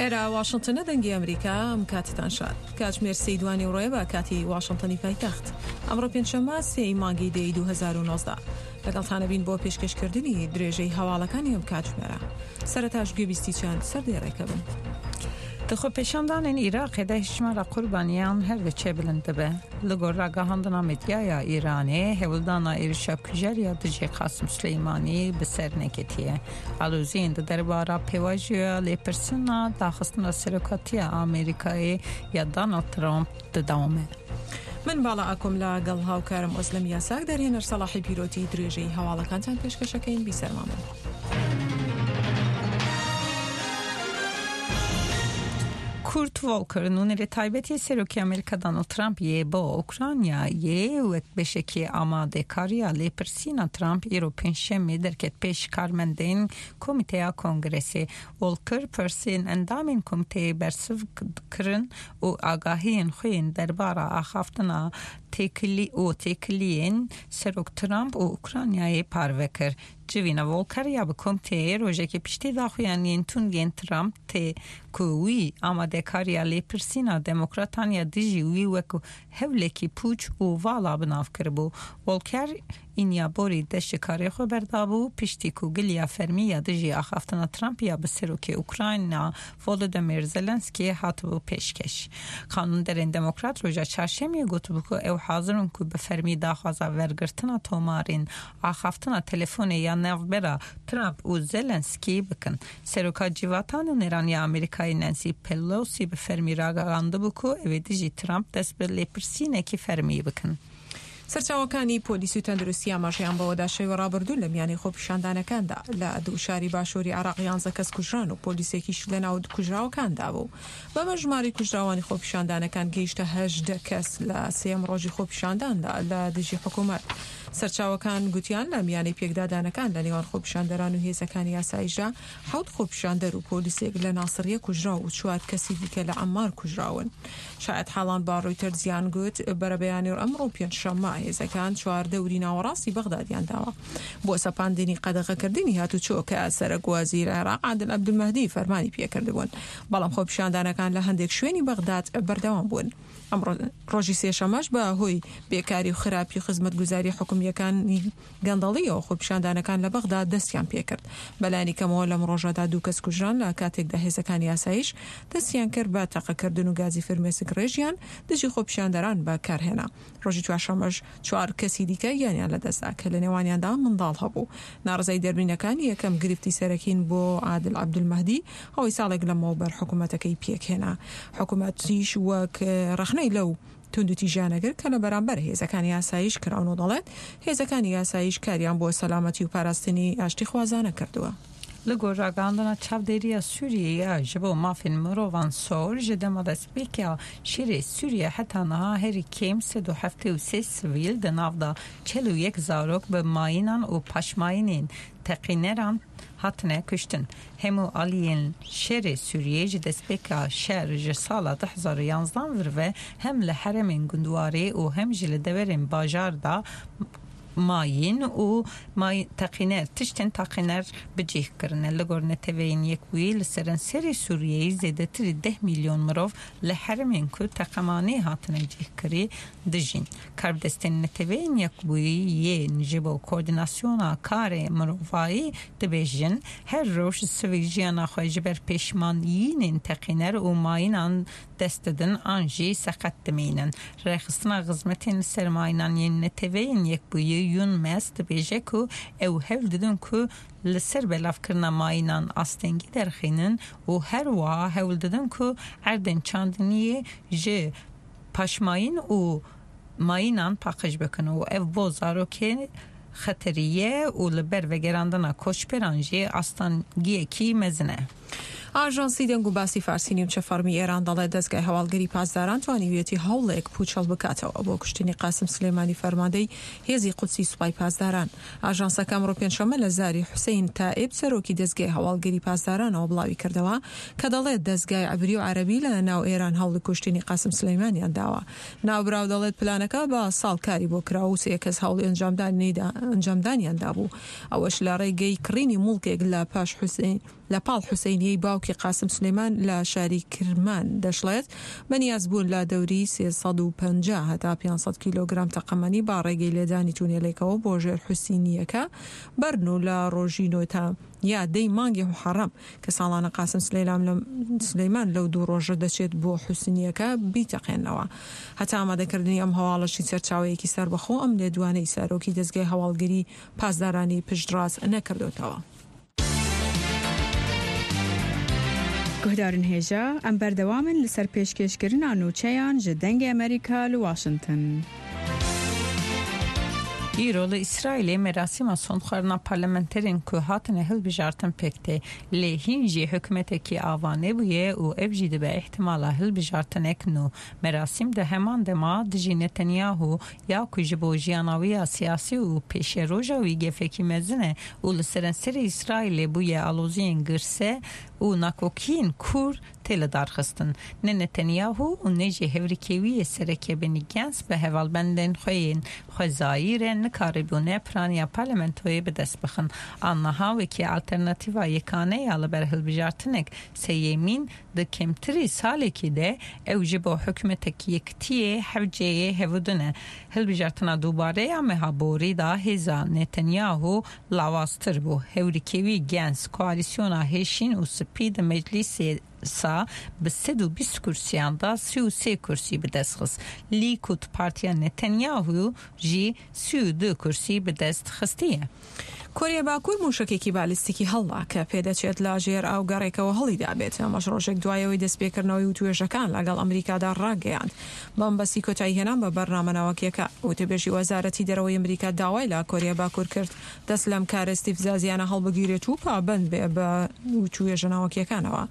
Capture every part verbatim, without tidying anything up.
ئێرە واشنتنە، دەنگی ئەمریکا. ئەم کاتتان شاد. کاتژمێر سێی دوانی ڕۆیە بە کاتی واشنتنی پایتەخت. ئەمڕۆ پێنجشەممە سێی مانگی دەی دوو هەزار و نۆزدە. لەگەڵتانە بین بۆ پێشکەشکردنی درێژەی هەواڵەکانی ئەم کاتژمێرە. سەرەتاش گوێبیستی چەند سەردێڕێکە بن. Di xwepêşandanên Iraqê de hejmara qurbaniyan her diçe bilind dibe. Li gor ragihandina medyaya Îranê hewldana êrişa kujer ya dijî Qasim Suleymanî bi ser neketiye. Aloziyên di derbara pêvajoya lêpirsîna daxistina serokatiya Amerîkayê ya Donald Trump didome. من باڵا ئاکۆم لەگەڵ هاوکارم ئۆزلەم یاساک دەرهێنەر سەڵاحی پیرۆتی درێژەی هەواڵەکانتان پێشکەشەکەین. بیسەرمان بن. Kurt Volker nûnerê taybetê Serokê Amerîka Donald Trump yê bo Ukraynayê wek beşekê amadekariya lêpirsîna Trump îro pêncşemê derket pêş karmendên Komîteya Kongresê. Volker pirsên endamên komîteyê bersiv kirin û agahiyên xwe yên derbara axaftina têkilî û têkiliyên Serok Trump û Ukraynayê parve kir. Civîna Volker ya bi komîteyê rojekê piştî daxuyaniyên tund yên Trump tê ku wî amadekariya lêpirsîna Demokratan ya dijî wî wek hewlekî pûç û vala bi nav kiribû. Volker îniya borî dest ji karê xwe berdabû piştî ku giliya fermî ya dijî axaftina Trump ya bi Serokê Ukrayna Volodymyr Zelenskiy hatibû pêşkeş. Qanûnderên Demokrat roja çarşemiyê gotibû ku ew hazir in ku bi fermî daxwaza wergirtina tomarên axaftina telefonê ya navbera Trump û Zelenskiy bikin. Seroka Civata Nûneran ya Amerîkayê Nancy Pelosi bi fermî ragihandibû ku ew ê dijî Trump dest bi lêpirsînekî fermî bikin. سەرچاوەکانی پۆلیس و تەندروستی ئاماژەیان بەوەدا شەوی ڕابردوو لە میانی خۆپیشاندانەکاندا لە دوو شاری باشووری عێراق یانزە کەس کوژران و پۆلیسێکیش لە ناو کوژراوەکاندا بوو. بەمە ژمارەی کوژراوانی خۆپیشاندانەکان گەیشتە هەژدە کەس لە سێیەم ڕۆژی خۆپیشانداندا لە دژی حکوومەت. سەرچاوەکان گوتیان لە میانەی پێکدادانەکان لە نێوان خۆپیشاندەران و هێزەکانی یاسایشدا حەوت خۆپیشاندەر و پۆلیسێک لە ناسریە کوژراو و چوار کەسی دیکە لە عەمار کوژراون. شاید حاڵان با ڕۆیتەرزیان گوت بەرەبەیانی ئەمڕۆ پێنجشەممە هێزەکان چوار دەوری ناوەڕاستی بەغدادیان داوە بۆ سەپاندنی قەدەغەکردنی هاتوچۆ کە سەرەک وەزیر عێراق عادل عەبدولمەهدی فەرمانی پێکردبوون، بەڵام خۆپیشاندانەکان لە هەندێک شوێنی بەغداد بەردەوام بوون. ئەمڕۆ ڕۆژی سێشەمەش بە هۆی بێکاری و خراپی خزمەتگوزاری حکومیەکانی گەندەڵیەوە خۆپیشاندانەکان لە بەغدا دەستیان پێکرد. بەلایەنی کەمەوە لەم ڕۆژەدا دوو کەس کوژران لە کاتێکدا هێزەکانی یاسایش دەستیان کرد بە تەقەکردن و گازی فرمێسک ڕێژیان دژی خۆپیشاندەران بەکارهێنا. ڕۆژی چوارشەممەش چوار کەسی دیکە گیانیان لەدەستدا کە لە نێوانیاندا منداڵ هەبوو. ناڕەزای دەربینەکان یەکەم گرفتی سەرەکین بۆ عادل عەبدولمەهدی ئەوەی ساڵێک لەمەوبەر حکوومەتەکەی پێکهێنا. حکوومەتیش وەک ڕەخنەی لەو توندوتیژیانە کرد کە لە بەرامبەر هێزەکانی یاسایش کراون و دەڵێت هێزەکانی یاسایش کاریان بۆ سەلامەتی و پاراستنی ئاشتیخوازانە کردووە. Li gor ragihandina çavdêriya Sûriyeyê ya ji bo mafên mirovan sor ji dema destpêka şerê Sûriye heta niha herî kêm sed û heftê û sê sivîl di nav da çel û yek zarok bi mayînan û paşmayînên teqîneran hatine kuştin. Hemû aliyên şerê Sûriyeyê ji destpêka şer ji sala du hezar û yanzdan vir ve hem li herêmên gundwarê û hem jî li deverên bajar da mayîn û teqîner tiştên teqîner bi cih kirine. Li gor neteweyên yekbûyî li seranserê Sûriyeyê zêdetirî deh milyon mirov li herêmên ku teqemanê hatine cihkirî dijîn. Karbidestên neteweyên yekbûyî yên ji bo koordînasyona karê mirovayî dibêjin her roj sivîl jiyana xwe ji ber pêşmaniyînên teqîner û mayînan dest didin an jî seqet dimînin. Rêxistina xizmetên li ser mayînan yên neteweyên yekbûyî UNMAS dibêje ku ew hewl didin ku li ser belavkirina mayînan astengî derxînin û her wiha hewl didin ku erdên çandiniyê ji paşmayîn û mayînan paqij bikin û ev bo zarokê xeteriye û li ber vegerandina koçberan jî astengiyekî mezin e. ئاژانسی دەنگ و باسی فارسی نیمچە فەرمی ئێران دەڵێت دەستگای هەواڵگری پاسداران توانیویەتی هەوڵێک پوچەڵ بکاتەوە بۆ کوشتنی قاسم سلێمانی فەرماندەی هێزی قودسی سوپای پاسداران. ئاژانسەکە ئەمڕۆ پێنجشەممە لە زاری حوسەین تائیب سەرۆکی دەستگای هەواڵگری پاسدارانەوە بڵاوی کردەوە کە دەڵێت دەستگای عبری و عەرەبی لە ناو ئێران هەوڵی کوشتنی قاسم سلێمانیان داوە. ناوبراو دەڵێت پلانەکە بە ساڵ کاری بۆ کرا و سێ کەس هەوڵی ئەنجامدانیان دابوو، ئەوەش لە ڕێگەی کڕینی موڵکێک لە پاش حوسەین لە پاڵ حوسەینیەی باوکی باوکی قاسم سلێمان لە شاری کرمان دەشڵێت بەنیاز بوون لە دەوری سێ سەد و پەنجا هەتا پێنج سەد کیلۆگرام تەقەمەنی با ڕێگەی لێدانی تونێلێکەوە بۆ ژێر حوسینیەکە بەرن و لە ڕۆژی نۆ تا یا دەی مانگی محەڕەم کە ساڵانە قاسم سلەیمان لەو دوو ڕۆژە دەچێت بۆ حوسنیەکە بیتەقێنەوە. هەتا ئامادەکردنی ئەم هەواڵەشی سەرچاوەیەکی سەربەخۆ ئەم لێدوانەی سەرۆکی دەزگای هەواڵگری پاسدارانی پشتڕاست نەکردوتەوە. گوهدارن هێژا ئەم بەردەوامن لەسەر پێشکێشکردنا نوچەیان ji دەنگی ئەمریکا لە واشنگتن. ئیرۆ لە ئیسرائیلê merasîma sondxwarina parlamenterên ku hatine hilbijartin pêk tê lê hîn jî hikûmetekî ava nebûye û ev jî dibe îhtimala hilbijartinek nû. Merasîm di heman dema dijî Netanyahu ya ku ji bo jiyana wî ya siyasî û pêşeroja wî gefekî mezin e û li seranserê İsraîlê bûye aloziyên girse û nakokiyên kûr tê li darxistin. Ne Netanyahu û ne jî hevrikê wî yê sereke Benny Gantz bi hevalbendên xwe yên xwezayî re nikaribûne piraniya parlamentoyê bi dest bixin. Anniha wekî alternatîva yekane ya li ber hilbijartinek sêyemîn di kêmtirî salekî de ew ji bo hikûmetek yekitiyê hevceyê hevûdin e. Hilbijartina dubare ya meha borî da hêza Netanyahu lawaztir bû. Hevrikê wî Gantz koalîsyona hêşîn û spî di meclîsê sa bi sed û bîst kursiyan da sî û sê kursî bi dest xist. Likud Partiya Netanyahu jî sî û du kursî bi dest xistiye. کۆریا باکوور موشەکێکی بالیستیکی هەڵدا کە پێدەچێت لە ژێر ئاو گەڕێکەوە هەڵیدا بێت. ئەمەش ڕۆژێک دوایەوەی دەستپێکردنەوەی وتوێژەکان لەگەڵ ئەمریکادا ڕاگەیاند بەمبەستی کۆتایی هێنان بە بەرنامە ناوەکیەکە. وتەبێژی وەزارەتی دەرەوەی ئەمریکا داوای لە کۆریا باکوور کرد دەست لەم کارە ئیستیفزازیانە هەڵبگیرێت و پابەند بێ بە وتوێژە ناوەکیەکانەوە.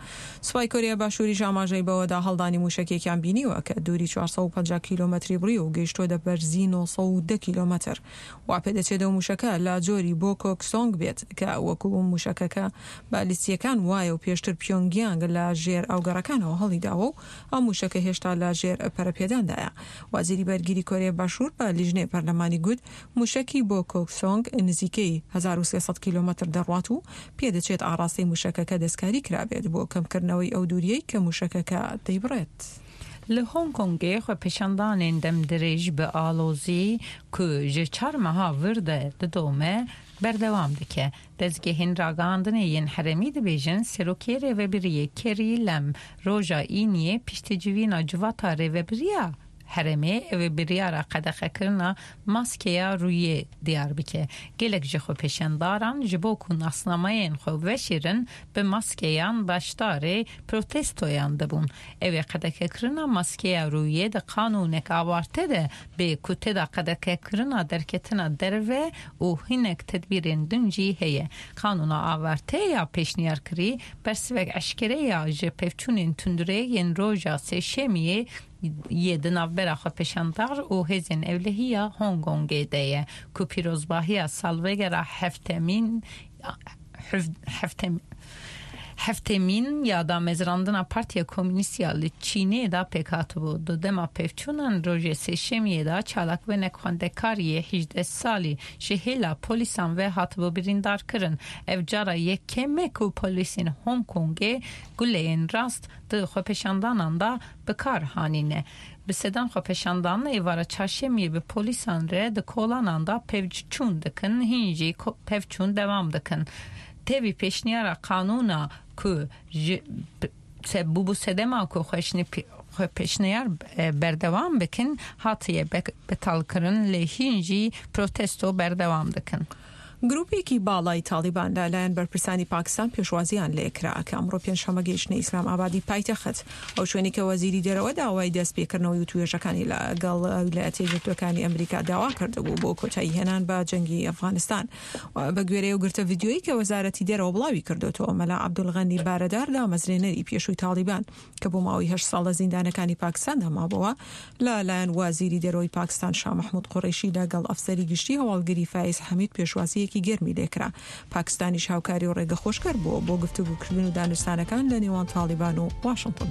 سوپای کۆریا باشووریش ئاماژەی بەوەدا هەڵدانی موشەکێکیان بینیوە کە دووری چوار سەد و پەنجا کیلۆمەتری بڕی و گەیشتووە بەرزی نۆ سەد و دە کیلۆمەتر. وا پێدەچێت ئەو موشەکە لە جۆری بۆ کۆکسۆنگ بێت کە وەکو موشەکەکە بالیستیەکان وایە و پێشتر پیۆنگیانگ لە ژێر ئاوگەڕەکانەوە هەڵیداوە و ئەم موشەکە هێشتا لە ژێر پەرەپێداندایە. وەزیری بەرگری کۆریا باشوور بە لیژنەی پەرلەمانی گوت موشەکی بۆ کۆکسۆنگ نزیکەی هەزار و سێ سەد کیلۆمەتر دەڕوات و پێدەچێت ئاراستەی موشەکەکە دەستکاری کرابێت بۆ کەمکردنەوەی ئەو دووریەی کە موشەکەکە دەیبڕێت. لە هۆنگ کۆنگێ xwepêşandanên demdirêj bi alozî ku ji çar meha vir de didome berdewam dike. Dezgehên ragihandinê yên herêmî dibêjin Serokê Rêvebiriyê Carrie Lam roja Îniyê piştî civîna civata rêvebiriya herêmê ew ê biryara qedexekirina maskeya rûyê diyar bike. Gelek ji xwepêşandaran ji bo ku nasnamayên xwe veşêrin bi maskeyan beşdarê protestoyan dibûn. Ew ê qedexekirina maskeya rûyê di qanûnek awarte de bê ku tê de qedexekirina derketina derve û hinek tedbîrên din jî heye. Qanûna awarte ya pêşniyarkirî bersivek eşkere ya ji pevçûnên tundurê yên roja sêşemiyê yê di navbera xwepêşandar û hêzên ewlehiya Hong Kongê de ye ku pîrozbahiya salvegera heftemîn heftem heftemîn ya damezrandina Partiya Komünîst ya li Çînê da pêk hatibû. Di dema pevçûnan rojê sêşemiyê da çalakvanek xwendekariyê hejdeh salî ji hêla polîsan ve hatibû birîndarkirin. Ev cara yekem e ku polîsên Hong Kongê guleyên rast di xwepêşandanan da bi kar hanîne. Bi sedan xwepêşandan êvara çarşemiyê bi polîsan re di kolanan da pevçûn dikin, hîn jî pevçûn dewam dikin. Tevî pêşniyara qanûna ku bûbû sedema ku xwepêşniyar berdewam bikin hatiye betalkirin lê hîn jî protesto berdewam dikin. گروپێکی باڵای تاڵیبان لەلایەن بەرپرسانی پاکستان پێشوازیان لێکرا کە ئەمڕۆ پێنجشەممە گەیشتنە ئیسلام ئابادی پایتەخت. ئەو شوێنی کە وەزیری دەرەوە داوای دەستپێکردنەوەی وتوێژەکانی لەگەڵ ویلایەتە یەکگرتووەکانی ئەمریکا داوا کردبوو بۆ کۆتایی هێنان بە جەنگی ئەفغانستان. بە گوێرەی ئەو گرتە ڤیدیۆیی کە وەزارەتی دەرەوە بڵاوی کردوێتەوە، مەلا عەبدولغەنی بارەدار دامەزرێنەری پێشووی تاڵیبان کە بۆ ماوەی هەشت ساڵ لە زیندانەکانی پاکستاندا مابەوە لەلایەن وەزیری دەرەوەی پاکستان شا مەحمود قوڕەیشی لەگەڵ ئەفسەری گشتی هەواڵگری فایز حەمید پێشوازی یەکی گەرمی لێکرا. پاکستانیش هاوکاری و ڕێگە خۆشکەر بووە بۆ گفتوگۆکردن و دانوستانەکان لە نێوان تاڵیبان و واشنگتن.